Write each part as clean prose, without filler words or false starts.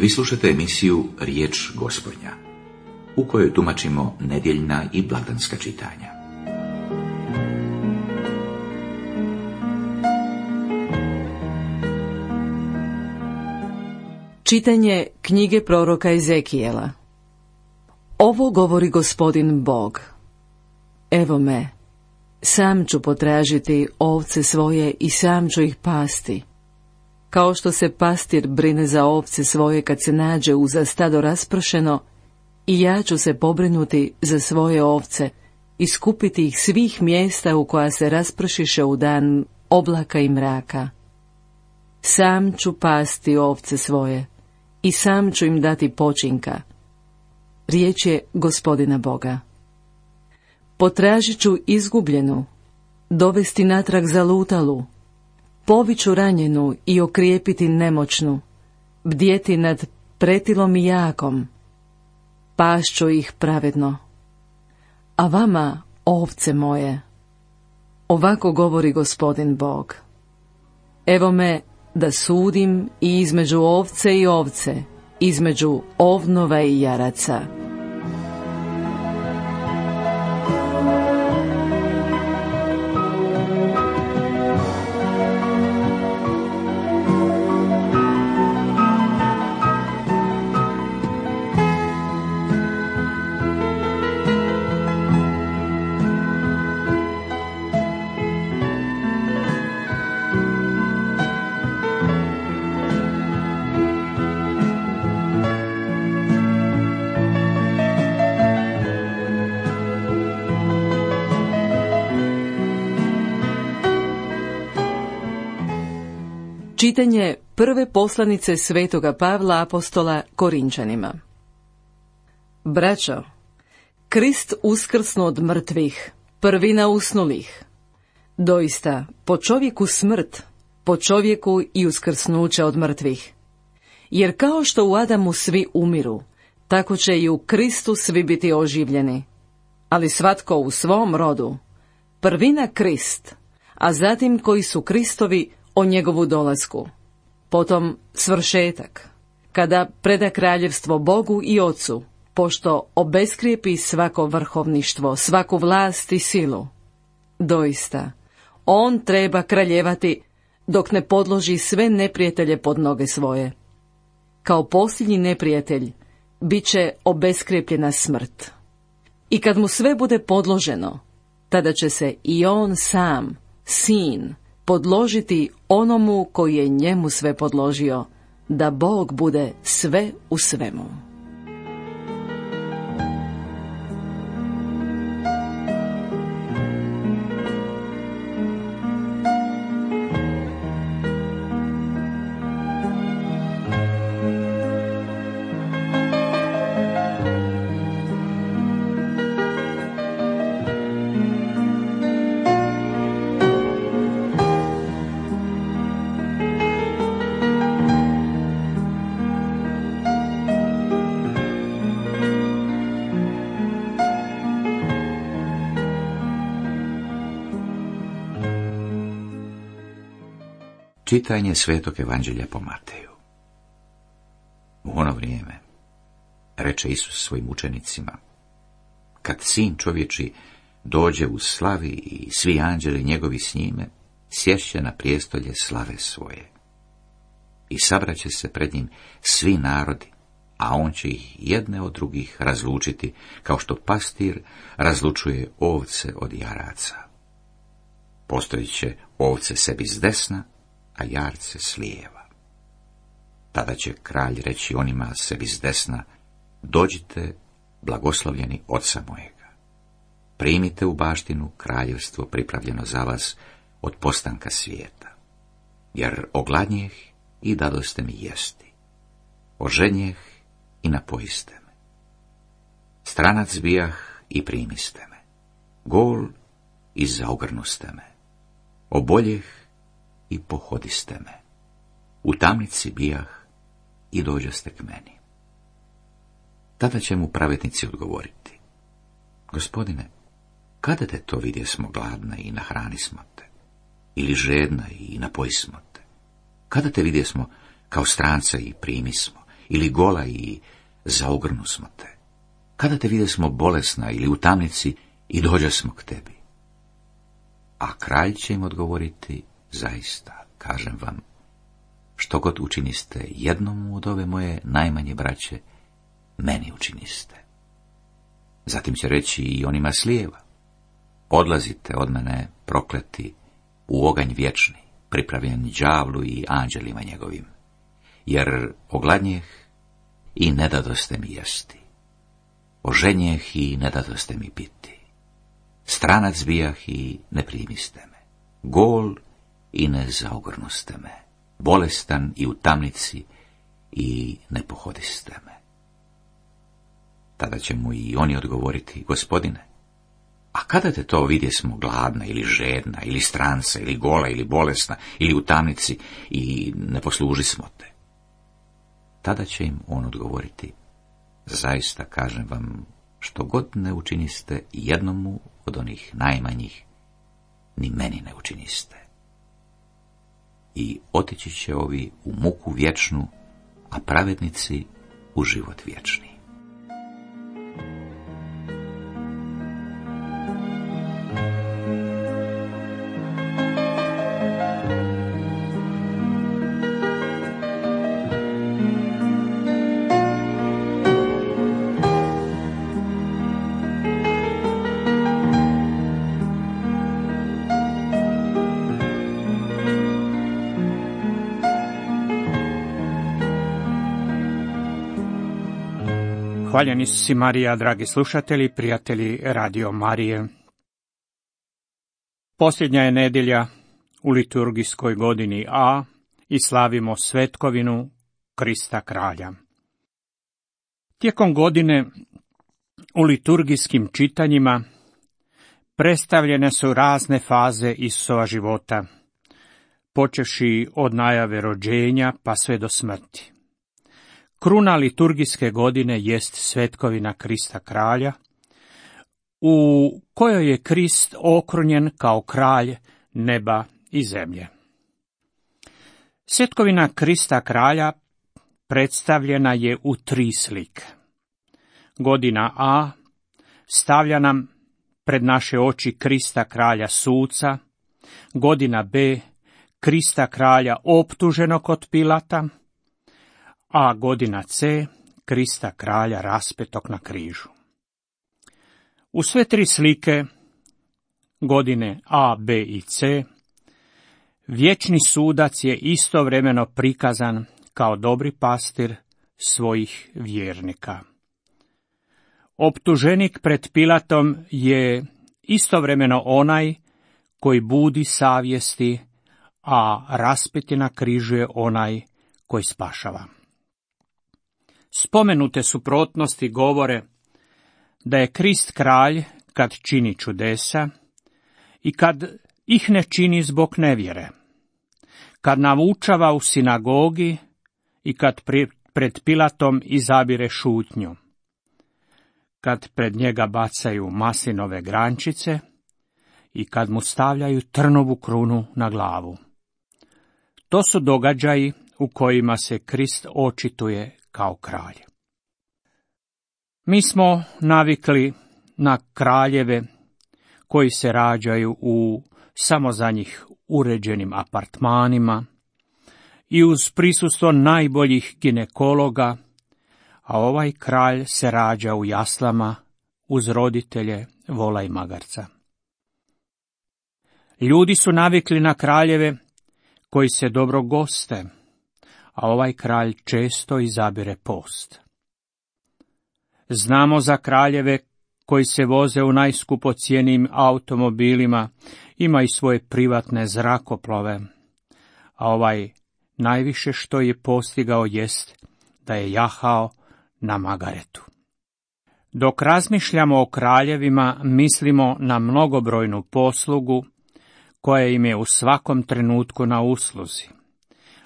Vi slušate emisiju Riječ Gospodnja, u kojoj tumačimo nedjeljna i blagdanska čitanja. Čitanje knjige proroka Ezekijela. Ovo govori Gospodin Bog. Evo me, sam ću potražiti ovce svoje i sam ću ih pasti. Kao što se pastir brine za ovce svoje kad se nađe uza stado raspršeno, i ja ću se pobrinuti za svoje ovce i skupiti ih svih mjesta u koja se raspršiše u dan oblaka i mraka. Sam ću pasti ovce svoje i sam ću im dati počinka. Riječ je Gospodina Boga. Potražit ću izgubljenu, dovesti natrag zalutalu, poviću ranjenu i okrijepiti nemoćnu, bdjeti nad pretilom i jakom, pašću ih pravedno. A vama, ovce moje, ovako govori Gospodin Bog. Evo me da sudim i između ovce i ovce, između ovnova i jaraca. Čitanje prve poslanice svetoga Pavla apostola Korinčanima. Braćo, Krist uskrsnu od mrtvih, prvina usnulih. Doista, po čovjeku smrt, po čovjeku i uskrsnuće od mrtvih. Jer kao što u Adamu svi umiru, tako će i u Kristu svi biti oživljeni. Ali svatko u svom rodu. Prvina Krist, a zatim koji su Kristovi o njegovu dolasku. Potom svršetak, kada preda kraljevstvo Bogu i Ocu, pošto obeskrijepi svako vrhovništvo, svaku vlast i silu. Doista, on treba kraljevati dok ne podloži sve neprijatelje pod noge svoje. Kao posljednji neprijatelj bit će obeskrijepljena smrt. I kad mu sve bude podloženo, tada će se i on sam, sin, podložiti onomu koji je njemu sve podložio, da Bog bude sve u svemu. Čitanje Svetog Evanđelja po Mateju. U ono vrijeme reče Isus svojim učenicima: kad sin čovječi dođe u slavi i svi anđeli njegovi s njime, sješće na prijestolje slave svoje. I sabraće se pred njim svi narodi, a on će ih jedne od drugih razlučiti, kao što pastir razlučuje ovce od jaraca. Postojit će ovce sebi s desna, a jarce s lijeva. Tada će kralj reći onima sebi s desna: dođite, blagoslovljeni oca mojega. Primite u baštinu kraljevstvo pripravljeno za vas od postanka svijeta. Jer ogladnjeh i dadoste mi jesti, ožednjeh i napojiste me. Stranac bijah i primiste me, gol i zaogrnuste me, oboljeh i pohodiste me, u tamnici bijah i dođoste k meni. Tada će mu pravednici odgovoriti: Gospodine, kada te to vidjesmo gladna i nahranismo te, ili žedna i napojismo te? Kada te vidjesmo kao stranca i primismo, ili gola i zaogrnu smo te? Kada te vide smo bolesna ili u tamnici i dođe smo k tebi? A kralj će im odgovoriti, zaista, kažem vam, što god učiniste jednom od ove moje najmanje braće, meni učiniste. Zatim će reći i onima s lijeva, odlazite od mene, prokleti, u oganj vječni, pripravljen đavlu i anđelima njegovim, jer ogladnjeh i ne dadoste mi jesti, oženjeh i ne dadoste mi piti, stranac bijah i ne primiste me, gol i ne zaogrnuste me, bolestan i u tamnici i ne pohodiste me. Tada će mu i oni odgovoriti, Gospodine, a kada te to vidjesmo gladna ili žedna ili stranca ili gola ili bolesna ili u tamnici i ne poslužismo te? Tada će im on odgovoriti, zaista kažem vam, što god ne učiniste jednomu od onih najmanjih, ni meni ne učiniste. I otići će ovi u muku vječnu, a pravednici u život vječni. Hvaljeni su si Marija, dragi slušatelji, prijatelji Radio Marije. Posljednja je nedjelja u liturgijskoj godini A i slavimo svetkovinu Krista Kralja. Tijekom godine u liturgijskim čitanjima predstavljene su razne faze Isusova života, počevši od najave rođenja pa sve do smrti. Kruna liturgijske godine jest svetkovina Krista Kralja, u kojoj je Krist okrunjen kao kralj neba i zemlje. Svetkovina Krista Kralja predstavljena je u 3 slike. Godina A stavlja nam pred naše oči Krista Kralja suca, godina B Krista Kralja optuženog od Pilata, a godina C Krista Kralja raspetog na križu. U sve 3 slike, godine A, B i C, vječni sudac je istovremeno prikazan kao dobri pastir svojih vjernika. Optuženik pred Pilatom je istovremeno onaj koji budi savjesti, a raspeti na križu je onaj koji spašava. Spomenute suprotnosti govore da je Krist kralj kad čini čudesa i kad ih ne čini zbog nevjere, kad naučava u sinagogi i kad pred Pilatom izabire šutnju, kad pred njega bacaju maslinove grančice i kad mu stavljaju trnovu krunu na glavu. To su događaji u kojima se Krist očituje kao kralj. Mi smo navikli na kraljeve koji se rađaju u samo za njih uređenim apartmanima i uz prisustvo najboljih ginekologa, a ovaj kralj se rađa u jaslama uz roditelje vola i magarca. Ljudi su navikli na kraljeve koji se dobro goste, a ovaj kralj često izabire post. Znamo za kraljeve koji se voze u najskupocijenijim automobilima, ima i svoje privatne zrakoplove, a ovaj najviše što je postigao jest da je jahao na magaretu. Dok razmišljamo o kraljevima, mislimo na mnogobrojnu poslugu koja im je u svakom trenutku na usluzi.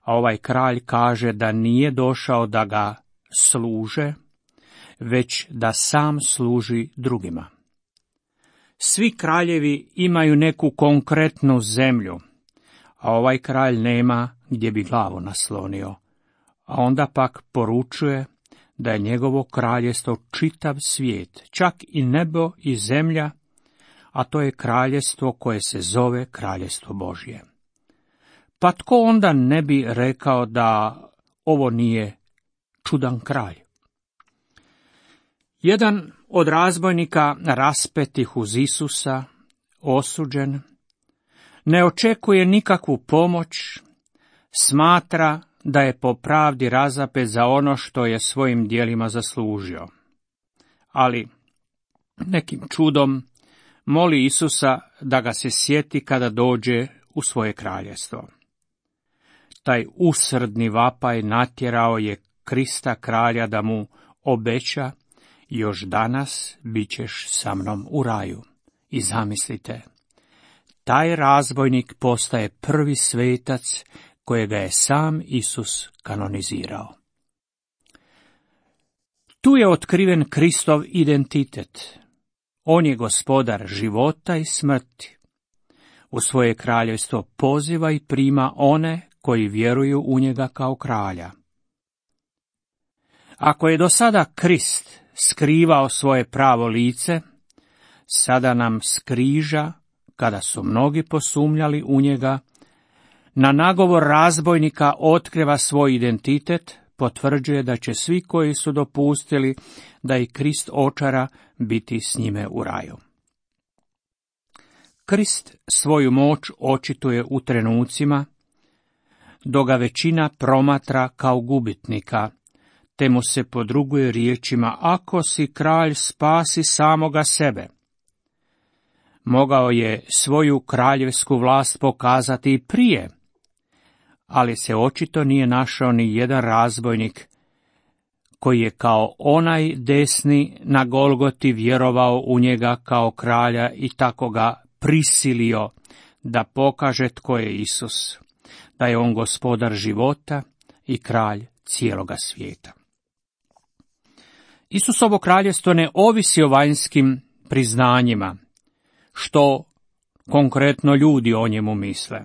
A ovaj kralj kaže da nije došao da ga služe, već da sam služi drugima. Svi kraljevi imaju neku konkretnu zemlju, a ovaj kralj nema gdje bi glavu naslonio, a onda pak poručuje da je njegovo kraljestvo čitav svijet, čak i nebo i zemlja, a to je kraljestvo koje se zove kraljestvo Božje. Pa tko onda ne bi rekao da ovo nije čudan kralj? Jedan od razbojnika raspetih uz Isusa, osuđen, ne očekuje nikakvu pomoć, smatra da je po pravdi razapet za ono što je svojim djelima zaslužio. Ali nekim čudom moli Isusa da ga se sjeti kada dođe u svoje kraljestvo. Taj usrdni vapaj natjerao je Krista kralja da mu obeća: još danas bit ćeš sa mnom u raju. I zamislite, taj razbojnik postaje prvi svetac kojega je sam Isus kanonizirao. Tu je otkriven Kristov identitet. On je gospodar života i smrti. U svoje kraljevstvo poziva i prima one koji vjeruju u njega kao kralja. Ako je do sada Krist skrivao svoje pravo lice, sada nam s križa, kada su mnogi posumnjali u njega, na nagovor razbojnika otkriva svoj identitet, potvrđuje da će svi koji su dopustili da i Krist očara biti s njime u raju. Krist svoju moć očituje u trenucima dok ga većina promatra kao gubitnika, te mu se podruguje riječima: ako si kralj, spasi samoga sebe. Mogao je svoju kraljevsku vlast pokazati i prije, ali se očito nije našao ni jedan razbojnik koji je kao onaj desni na Golgoti vjerovao u njega kao kralja i tako ga prisilio da pokaže tko je Isus, da je on gospodar života i kralj cijeloga svijeta. Isusovo kraljevstvo ne ovisi o vanjskim priznanjima, što konkretno ljudi o njemu misle.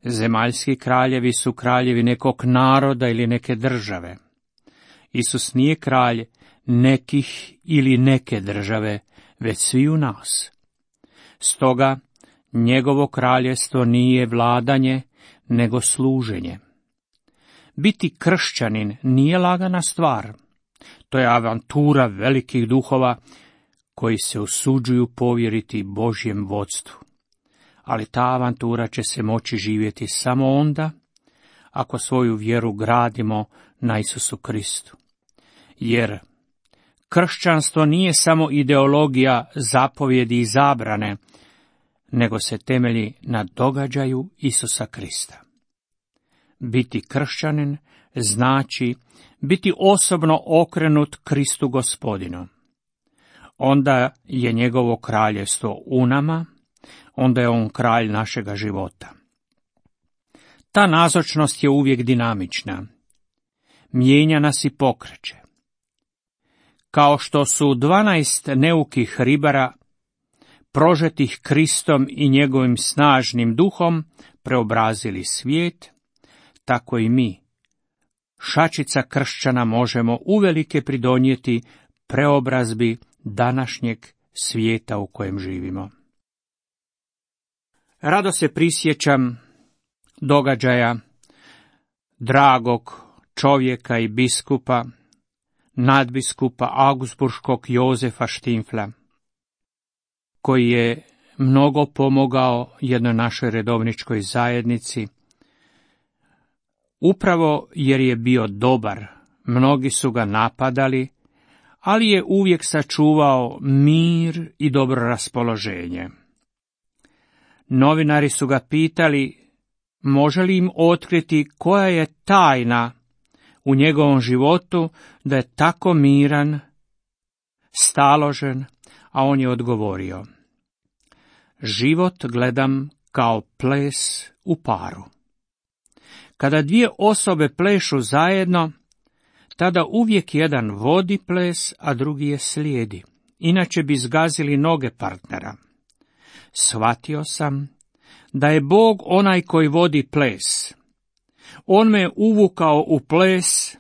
Zemaljski kraljevi su kraljevi nekog naroda ili neke države. Isus nije kralj nekih ili neke države, već sviju nas. Stoga njegovo kraljevstvo nije vladanje, nego služenje. Biti kršćanin nije lagana stvar. To je avantura velikih duhova koji se usuđuju povjeriti Božjem vodstvu. Ali ta avantura će se moći živjeti samo onda ako svoju vjeru gradimo na Isusu Kristu. Jer kršćanstvo nije samo ideologija zapovjedi i zabrane, nego se temelji na događaju Isusa Krista. Biti kršćanin znači biti osobno okrenut Kristu Gospodinu. Onda je njegovo kraljevstvo u nama, onda je on kralj našega života. Ta nazočnost je uvijek dinamična. Mijenja nas i pokreće. Kao što su 12 neukih ribara, prožetih Kristom i njegovim snažnim duhom, preobrazili svijet, tako i mi, šačica kršćana, možemo uvelike pridonijeti preobrazbi današnjeg svijeta u kojem živimo. Rado se prisjećam događaja dragog čovjeka i biskupa, nadbiskupa augsburškog Jozefa Štimfla, koji je mnogo pomogao jednoj našoj redovničkoj zajednici. Upravo jer je bio dobar, mnogi su ga napadali, ali je uvijek sačuvao mir i dobro raspoloženje. Novinari su ga pitali može li im otkriti koja je tajna u njegovom životu da je tako miran, staložen, a on je odgovorio: život gledam kao ples u paru. Kada dvije osobe plešu zajedno, tada uvijek jedan vodi ples, a drugi je slijedi. Inače bi zgazili noge partnera. Shvatio sam da je Bog onaj koji vodi ples, On me uvukao u ples,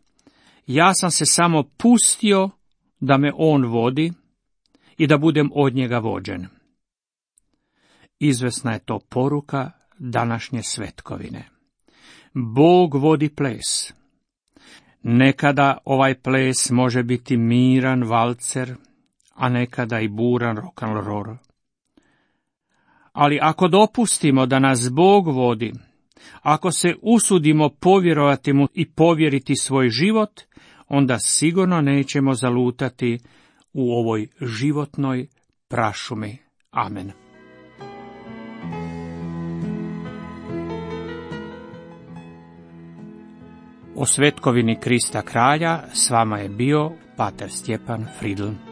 ja sam se samo pustio da me on vodi i da budem od njega vođen. Izvesna je to poruka današnje svetkovine. Bog vodi ples. Nekada ovaj ples može biti miran valcer, a nekada i buran rock'n'roll. Ali ako dopustimo da nas Bog vodi, ako se usudimo povjerovati mu i povjeriti svoj život, onda sigurno nećemo zalutati u ovoj životnoj prašumi. Amen. O svetkovini Krista kralja s vama je bio pater Stjepan Fridl.